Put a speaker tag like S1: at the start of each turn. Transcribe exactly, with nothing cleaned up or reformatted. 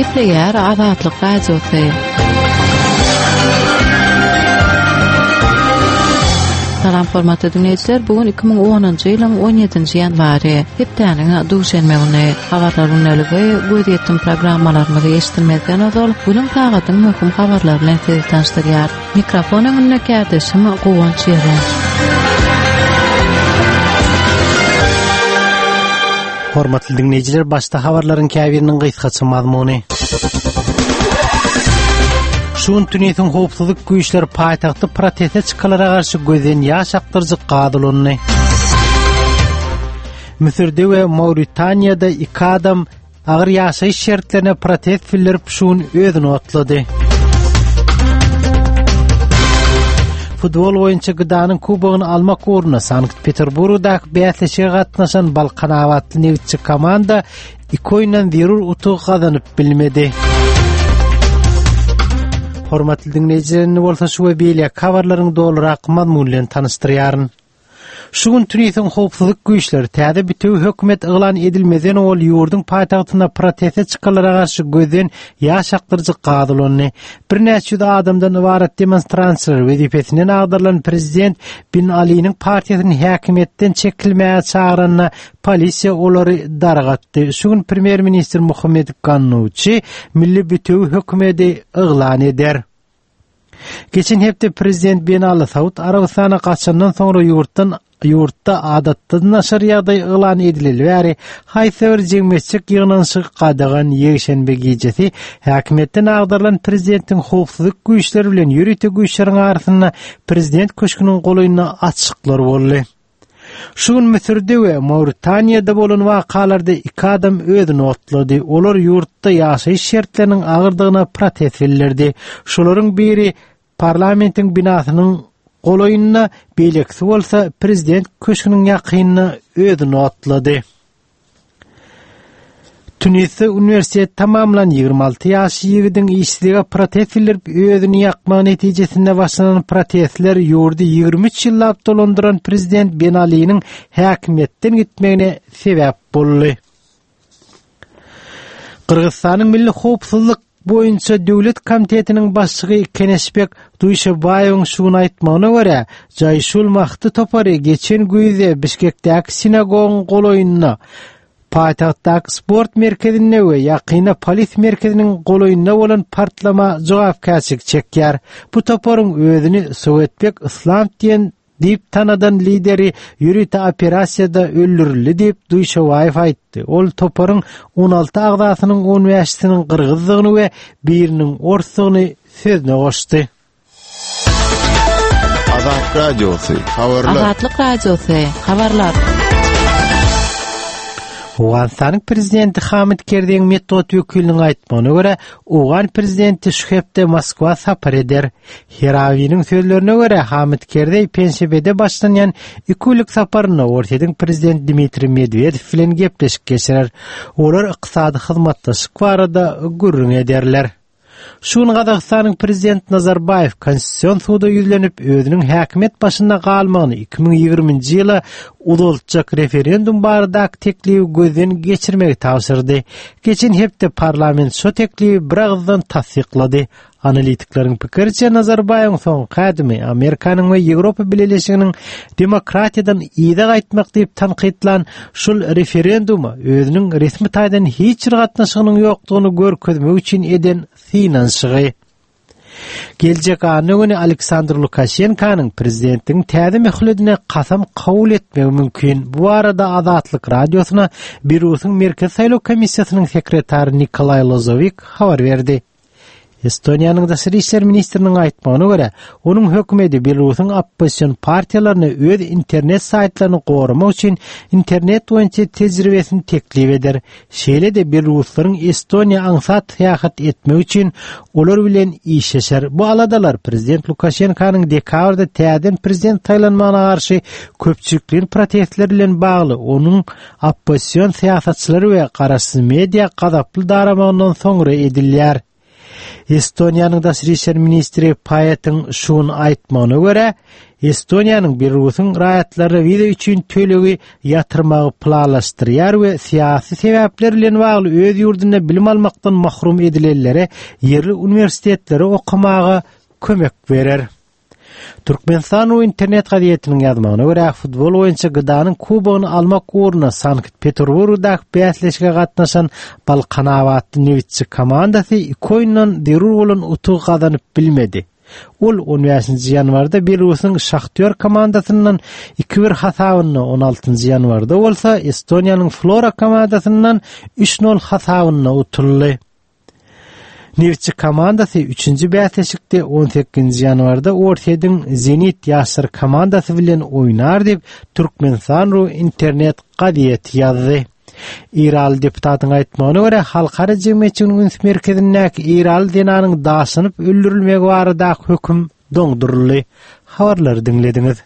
S1: Gepleýär Azatlyk Radiosy. Salam hormatly dinleýjiler, bu gün iki müň onunjy ýylyň on ýedinji ýanwary, hepdäniň duşenbe güni. Habarlar gündeligi gözýetim programmalarymyzy eşitmezden ozal günüň sagatyň möhüm habarlary bilen sizi tanyşdyrýar. Mikrofon öňünde kärdeşim Guwanç Ýeren.
S2: Hormatly dinleýjiler, başda habarlaryň käbiriniň gysgaça mazmuny. Şu gün Tunisiň howpsuzlyk güýçleri paýtagtda proteste çykalara garşy gözden ýaş akdyryjy gaz ulandy. Müsürde we Mauritaniýada iki adam agyr ýaşaýyş şertlerine protest bildirip şu gün özüni otlady. Futbol boýunça Gdanyň kubogyny almak ugrunda Sankt-Peterburgdaky bäsleşige gatnaşan Balkanabatly nebitçi komanda iki oýundan zerur utugy gazanyp bilmedi. Hormatly dinleýjiler, indi bolsa şu we beýleki habarlaryň dolurak mazmuny bilen tanyşdyrýaryn. Şu gün Tunisiň howpsuzlyk güýçleri täze bütewi hökümet yglan edilmezden owal ýurduň paýtagtynda proteste çykanlara garşy gözden ýaş akdyryjy gaz ulandy. Birnäçe ýüz adamdan ybarat demonstrantçylar wezipesinden agdarylan prezident Bin Aliniň partiýasyny häkimiýetden çekilmäge çagyranda polisiýa olary dargatdy. Şu gün premýer-ministr Muhammed Gannuçi milli bütewi hökümeti yglan eder. Geçen hepde prezident Ben Ali Saud Arabystana gaçandan soňra ýurtdan ýurtda adatdan daşary ýagdaý yglan edileli bäri haýsy bir jemgyýetçilik ýygnanyşygy gadagan ýekşenbe gijesi häkimiýetden agdarylan prezidentiň howpsuzlyk güýçleri bilen ýörite güýçleriň arasynda prezident köşgüniň golaýynda atyşyklar boldy. Şu gün Müsürde we Mauritaniýada bolan wakalarda iki adam özüni otlady. Olar ýurtda ýaşaýyş şertleriniň agyrdygyna protest bildirdi. Şolaryň biri parlamentiň binasynyň golaýynda, beýlekisi bolsa prezident köşgüniň ýakynynda özüni otlady. Tunisde uniwersitet tamamlan ýigrimi alty ýaşly ýigidiň işsizlige protest bildirip özüni ýakmagy netijesinde başlanan protestler ýurdy ýigrimi üç ýyllap dolandyran prezident Ben Aliniň häkimiýetden gitmegine sebäp boldy. Gyrgyzystanyň Milli howpsuzlyk boýunça döwlet komitetiniň başlygy Keneşbek Duýşebaýewiň şu gün aýtmagyna görä, Jaýşul Mahdi topary geçen güýzde Bişkekdäki sinagogyň golaýynda, paýtagtdaky sport merkezinde we ýakynda polis merkeziniň golaýynda bolan partlama jogapkärçilik çekýär. Bu toparyň özüni Sowetbek Yslam diýen diýip tanadan lideri ýörite operasiýada öldürildi diýip Duýşebaýew aýtdy. Ol toparyň on alty agzasynyň on bäşisiniň gyrgyzdygyny we biriniň orsdugyny sözüne goşdy.
S3: Azatlyk Radiosy, habarlar.
S1: Azatlyk Radiosy, habarlar.
S2: Owganystanyň prezidenti Hamid Kerzeýiň metbugat wekiliniň aýtmagyna görä, owgan prezidenti şu hepde Moskwa sapar eder. Herawiniň sözlerine görä, Hamid Kerzeý penşebede başlanýan iki günlük saparynda Orsýetiň prezidenti Dmitriý Medwedew bilen gepleşik geçirer. Olar ykdysady hyzmatdaşlyk barada gürrüň ederler. Şu gün Gazagystanyň prezidenti Nazarbaýew Konstitusion suda ýüzlenip, özüniň häkimiýet başynda galmagyny iki müň ýigriminji ýyla uzaltjak referendum baradaky teklibi gözden geçirmegi tabşyrdy. Geçen hepde parlament şo teklibi bir agyzdan tassyklady. Analitikleriň pikiriçe, Nazarbaýewiň soňky ädimi Amerikanyň we Ýewropa Bileleşiginiň demokratiýadan yza gaýtmak diýip tankytlan şol referenduma özüniň resmi taýdan hiç bir gatnaşygynyň ýokdugyny görkezmek üçin eden synanyşygy. Geljek anna güni Aleksandr Lukaşenkanyň prezidentligiň täze möhletine kasam kabul etmegi mümkin. Bu barada Azatlyk Radiosyna Belarus'yň Merkezi saýlaw komissiýasynyň sekretary Nikolaý Lozowik habar berdi. Estoniýanyň daşary işler ministriniň aýtmagyna görä, onuň hökümeti Belarus'yň oppozision partiýalaryna öz internet saýtlaryny goramak üçin internet boýunça tejribesini teklip eder. Şeýle-de Belaruslaryň Estoniýa aňsat syýahat etmek üçin olar bilen işleşer. Bu aladalar prezident Lukaşenkanyň dekabrda täzeden prezident saýlanmagyna garşy köpçülikleýin protestler bilen bagly onuň oppozision syýasatçylary we garaşsyz media gazaply daramagyndan soňra edilýär. Estoniýanyň Daşary işler ministri Paýatyň şuny aýtmagyna görä, Estoniýanyň Belarusyň raýatlary wiza üçin tölegi ýatyrmagy planlaşdyrýar we syýasy sebäpler bilen bagly öz ýurdunda bilim almakdan mahrum edilenlere ýerli uniwersitetlere okamaga kömek berer. Türkmenistan internet gazetiniň ýazmagyna görä futbol boýunça G D A'nyň kubogyny almak ugrunda Sankt Peterburgdaky bäsleşige gatnaşan Balkanabatly Nebitçi komandasy iki oýundan zerur bolan utugy gazanyp bilmedi. Ol on bäşinji ýanwarda Belarusyň Şahtýor komandasyndan iki bir hasabynda, on altynjy ýanwarda bolsa Estoniýanyň Flora komandasyndan üç nol hasabynda utuldy. Nebitçi komandasy üçünji bäsleşikde on sekizinji ýanwarda Orsýetiň Zenit ýaşlar komandasy bilen oýnar diýip Türkmenistan ru internet gazeti ýazdy. Iraly deputatyň aýtmagyna görä halkara jemgyýetçiliginiň üns merkezindäki Iraly zenanyň daşlanyp öldürilmegi baradaky höküm doňduryldy. Habarlary diňlediňiz.